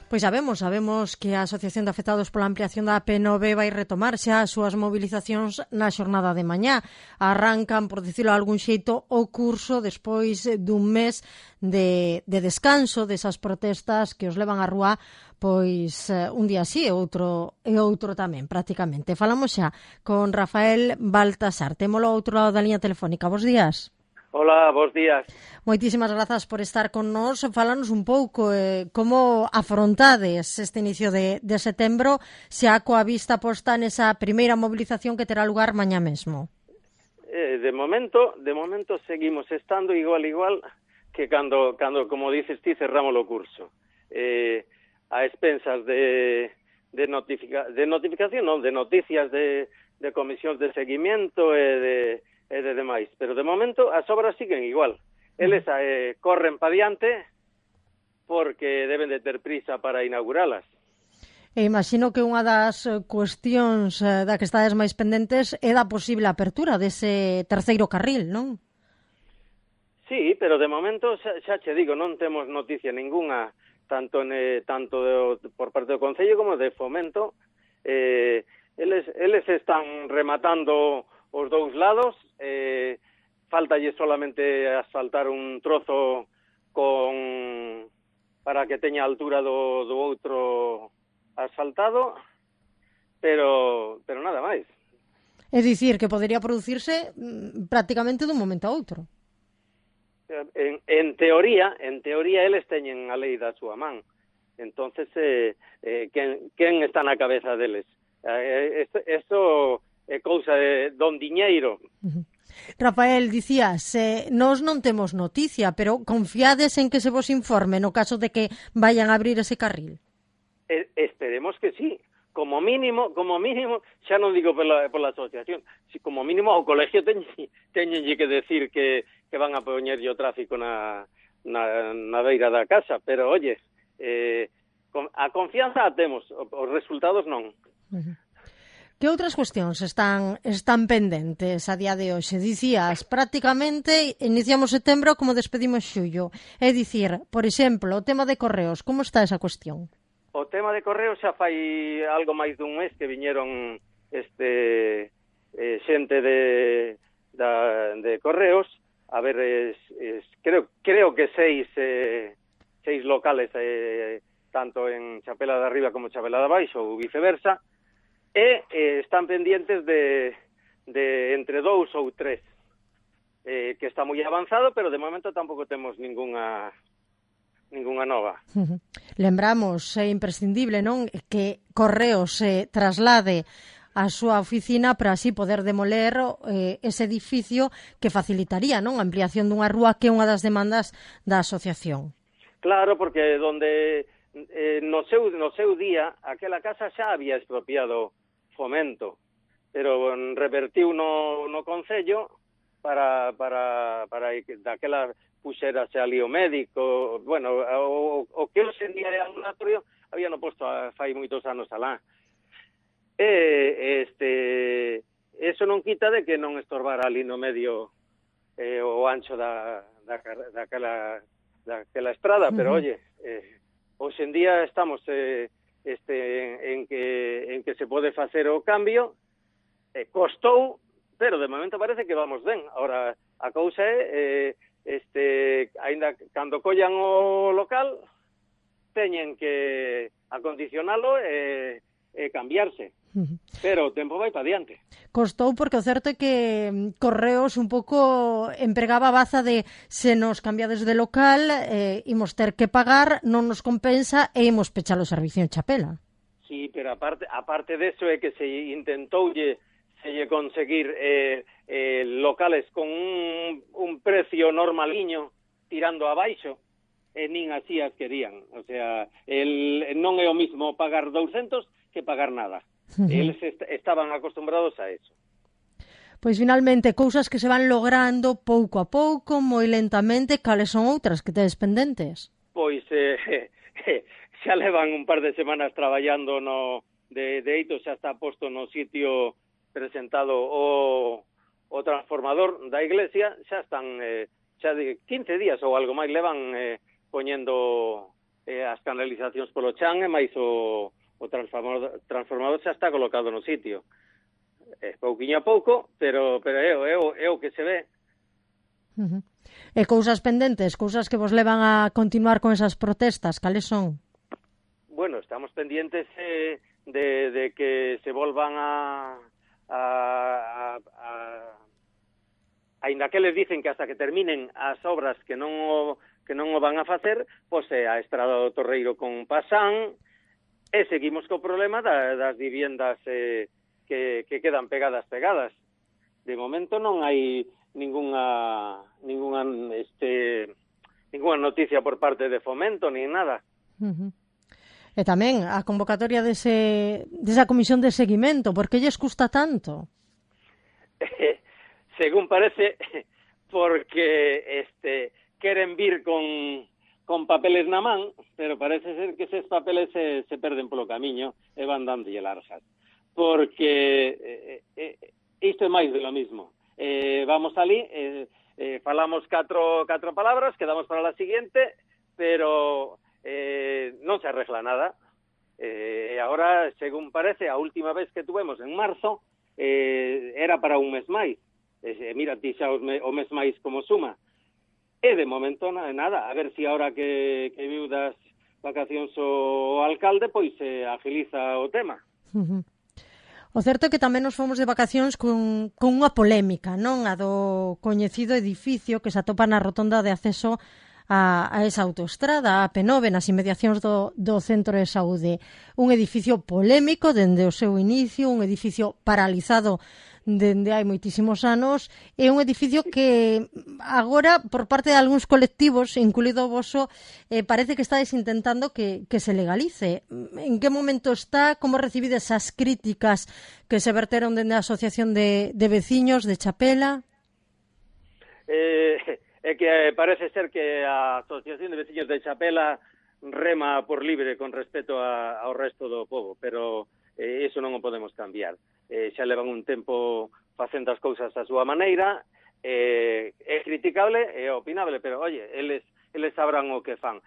Pois sabemos que a Asociación de Afectados pola ampliación da P9 vai retomar xa as súas mobilizacións na xornada de mañá. Arrancan, por dicilo de algún xeito, o curso despois dun mes de descanso desas protestas que os levan á rúa pois un día así e outro tamén, prácticamente. Falamos xa con Rafael Baltasar. Témolo ao outro lado da liña telefónica. Bos días. Hola, bos días. Moitísimas grazas por estar con nós. Fálanos un pouco como afrontades este inicio de setembro, xa coa vista posta nesa primeira mobilización que terá lugar mañá mesmo. De momento seguimos estando igual que cando como dices ti, cerramos o curso. A expensas de notificación, non, de noticias de comisións de seguimiento e de demais. Pero de momento as obras siguen igual. Eles corren pa diante porque deben de ter prisa para inauguralas. E imagino que unha das cuestións da que estades máis pendentes é da posible apertura dese terceiro carril, non? Sí, pero de momento xa che digo, non temos noticia ningunha tanto por parte do Concello como de Fomento. Eles están rematando os dous lados, faltalle solamente asfaltar un trozo para que teña a altura do outro asfaltado, pero nada máis. É dicir, que podería producirse prácticamente dun momento a outro. En teoría eles teñen a lei da súa man. Entonces, quen está na cabeza deles? Eso é cousa de don diñeiro. Rafael, dicías, nós non temos noticia, pero confiades en que se vos informe no caso de que vayan a abrir ese carril? Esperemos que sí. Como mínimo, xa non digo pola asociación, si como mínimo ao colegio teñenlle que decir que van a poñerlle o tráfico na beira da casa, pero oye, a confianza a temos, os resultados non. Que outras cuestións están pendentes a día de hoxe? Dicías, prácticamente iniciamos setembro como despedimos xullo. É dicir, por exemplo, o tema de correos, como está esa cuestión? O tema de correos xa fai algo máis dun mes que viñeron xente de correos, a ver, creo que seis locales, tanto en Chapela de Arriba como Chapela de Abaixo ou viceversa, están pendientes de entre 2 ou 3, que está moi avanzado, pero de momento tampouco temos ningunha nova. Lembramos, é imprescindible, non, que Correos se traslade a súa oficina para así poder demoler ese edificio que facilitaría, non, a ampliación dunha rúa que é unha das demandas da asociación. Claro, porque donde no seu día aquela casa xa había expropiado Fomento, pero revertiu no Concello para que daquela puxerase ali o médico, bueno, o que hoxe en día é ambulatorio había no posto fai moitos anos alá. Eso non quita de que non estorbara ali no medio o ancho daquela estrada, pero oye, hoxe en día estamos en que se pode facer o cambio, costou, pero de momento parece que vamos ben. Ahora, a cousa é aínda cando collan o local teñen que acondicionalo e cambiarse. Pero o tempo vai para diante. Costou porque o certo é que Correos un pouco empregaba a baza de se nos cambiades de local imos ter que pagar, non nos compensa e imos pechar o servicio en Chapela. Sí, pero aparte deso é que se intentoulle conseguir locales con un precio normaliño tirando abaixo e nin así as querían. O sea, non é o mismo pagar 200 que pagar nada. Eles estaban acostumbrados a eso. Pois finalmente, cousas que se van logrando pouco a pouco, moi lentamente, cales son outras que tedes pendentes? Pois xa levan un par de semanas traballando de eito, xa está posto no sitio presentado o transformador da iglesia, xa están xa de 15 días ou algo máis levan poñendo as canalizacións polo chan e máis o transformador xa está colocado no sitio. Pouquiño a pouco, pero é o que se ve. E cousas pendentes, cousas que vos levan a continuar con esas protestas, cales son? Bueno, estamos pendientes de que se volvan aínda que les dicen que hasta que terminen as obras que non o van a facer, pois a estrada do Torreiro con Pasán, e seguimos co problema das viviendas que quedan pegadas. De momento non hai ninguna noticia por parte de Fomento, nin nada. E tamén a convocatoria desa comisión de seguimento, por que lles custa tanto? Según parece, porque queren vir con papeles na man, pero parece ser que eses papeles se perden polo camiño e van dándolle largas. Porque isto é máis de lo mismo. Vamos ali, falamos catro palabras, quedamos para la siguiente, pero non se arregla nada. E agora, según parece, a última vez que tuvemos en marzo, era para un mes máis. Mira, ti xa o mes máis como suma. E de momento nada, a ver se agora que viu das vacacións o alcalde, pois agiliza o tema. O certo é que tamén nos fomos de vacacións con unha polémica, non? A do coñecido edificio que se atopa na rotonda de acceso a esa autoestrada, a P9, nas inmediacións do Centro de Saúde. Un edificio polémico dende o seu inicio, un edificio paralizado dende hai moitísimos anos, é un edificio que agora, por parte de algúns colectivos, incluído o voso, parece que estáis intentando que se legalice. En que momento está? Como recibide esas críticas que se verteron dende a Asociación de Veciños de Chapela? É que parece ser que a Asociación de Veciños de Chapela rema por libre con respecto ao resto do povo, pero iso non o podemos cambiar. Xa levan un tempo facendo as cousas a súa maneira, é criticable e opinable, pero, oye, eles sabrán o que fan.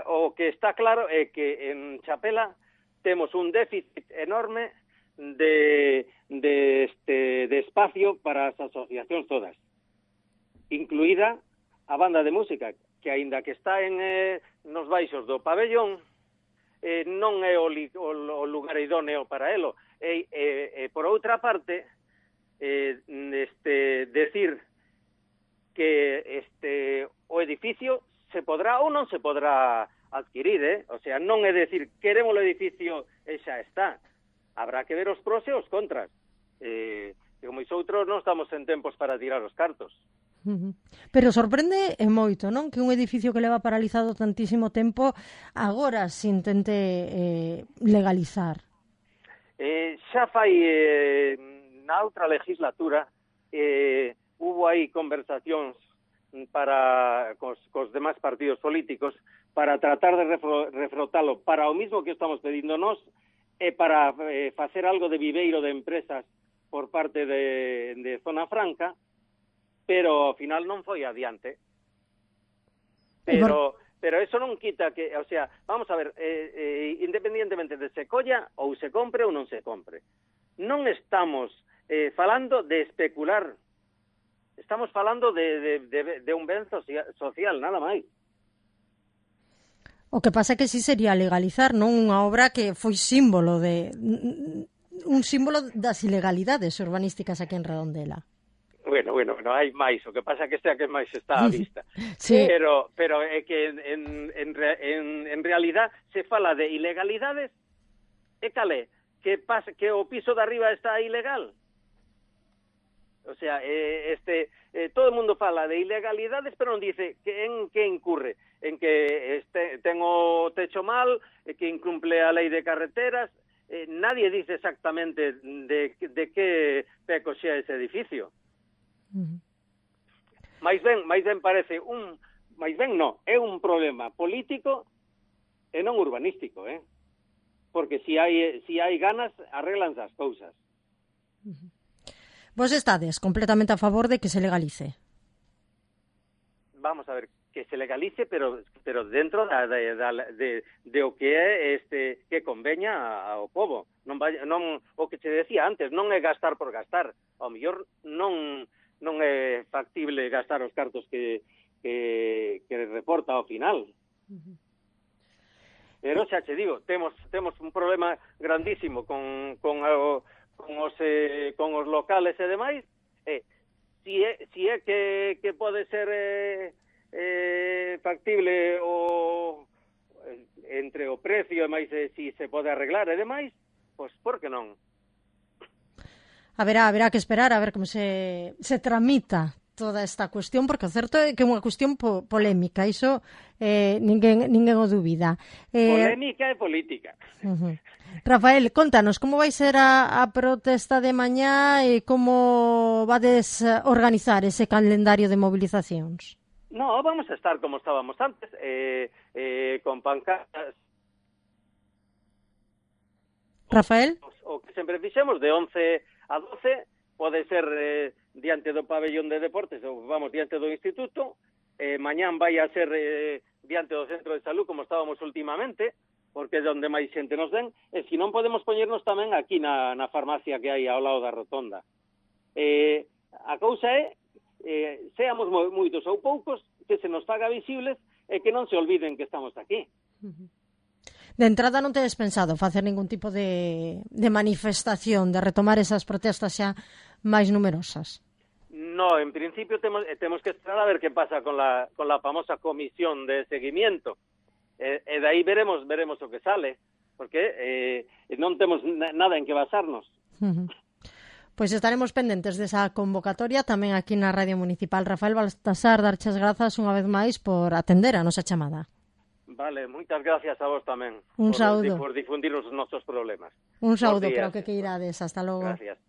O que está claro é que en Chapela temos un déficit enorme de espacio para as asociacións todas, incluída a banda de música, que aínda que está nos baixos do pabellón, non é o lugar idóneo para elo. Por outra parte, decir que o edificio se podrá ou non se podrá adquirir, O sea, non é decir queremos o edificio e xa está. Habrá que ver os pros e os contras. E como outros non estamos en tempos para tirar os cartos. Pero sorprende moito, non? Que un edificio que leva paralizado tantísimo tempo agora se intente legalizar. Xa fai na outra legislatura hubo aí conversacións cos demais partidos políticos para tratar de refrotalo para o mismo que estamos pedindo nós e para facer algo de viveiro de empresas por parte de Zona Franca, pero ao final non foi adiante. Pero eso non quita que, o sea, vamos a ver, independientemente de se colla ou se compre ou non se compre, non estamos falando de especular, estamos falando de un ben social, nada máis. O que pasa é que si sería legalizar, non unha obra que foi símbolo un símbolo das ilegalidades urbanísticas aquí en Redondela. Bueno, hai máis, o que pasa que sea que máis está á vista. Sí. Pero é que en realidad se fala de ilegalidades e calé, que o piso de arriba está ilegal. O sea, todo o mundo fala de ilegalidades, pero non dice en que incurre, en que ten o techo mal, que incumple a lei de carreteras. Nadie dice exactamente de que peco xa ese edificio. Mais ben parece é un problema político e non urbanístico, porque si hai ganas arreglanse as cousas. Vos estades completamente a favor de que se legalice? Vamos a ver, que se legalice, pero dentro de o que é que conveña ao povo. Non o que se decía antes, non é gastar por gastar. Ao mellor non é factible gastar os cartos que reporta ao final. Pero xa che digo, temos un problema grandísimo con os locales e demais. Si é que pode ser factible entre o precio e máis si se pode arreglar e demais, pois por que non? Haberá que esperar a ver como se tramita toda esta cuestión, porque o certo é que é unha cuestión polémica, iso ninguén o dúbida. Polémica e política. Rafael, contanos, como vai ser a protesta de mañá e como vades organizar ese calendario de movilizacións? No, vamos a estar como estábamos antes, con pancartas. Rafael? O que sempre fixemos de 11 a 12 pode ser diante do pabellón de deportes, ou vamos, diante do instituto, mañán vai a ser diante do centro de salud, como estábamos últimamente, porque é onde máis xente nos den, e se non podemos poñernos tamén aquí na farmacia que hai ao lado da rotonda. A cousa é, seamos moitos ou poucos, que se nos faga visibles e que non se olviden que estamos aquí. De entrada non tedes pensado facer ningún tipo de manifestación, de retomar esas protestas xa máis numerosas? No, en principio temos que esperar a ver que pasa con la famosa comisión de seguimiento. E de aí veremos o que sale, porque non temos nada en que basarnos. Pois estaremos pendentes desa convocatoria tamén aquí na Radio Municipal. Rafael Baltasar, darches grazas unha vez máis por atender a nosa chamada. Vale, moitas gracias a vos tamén. Un saúdo. Por difundir os nosos problemas. Un saúdo para o que queirades. Hasta logo. Gracias.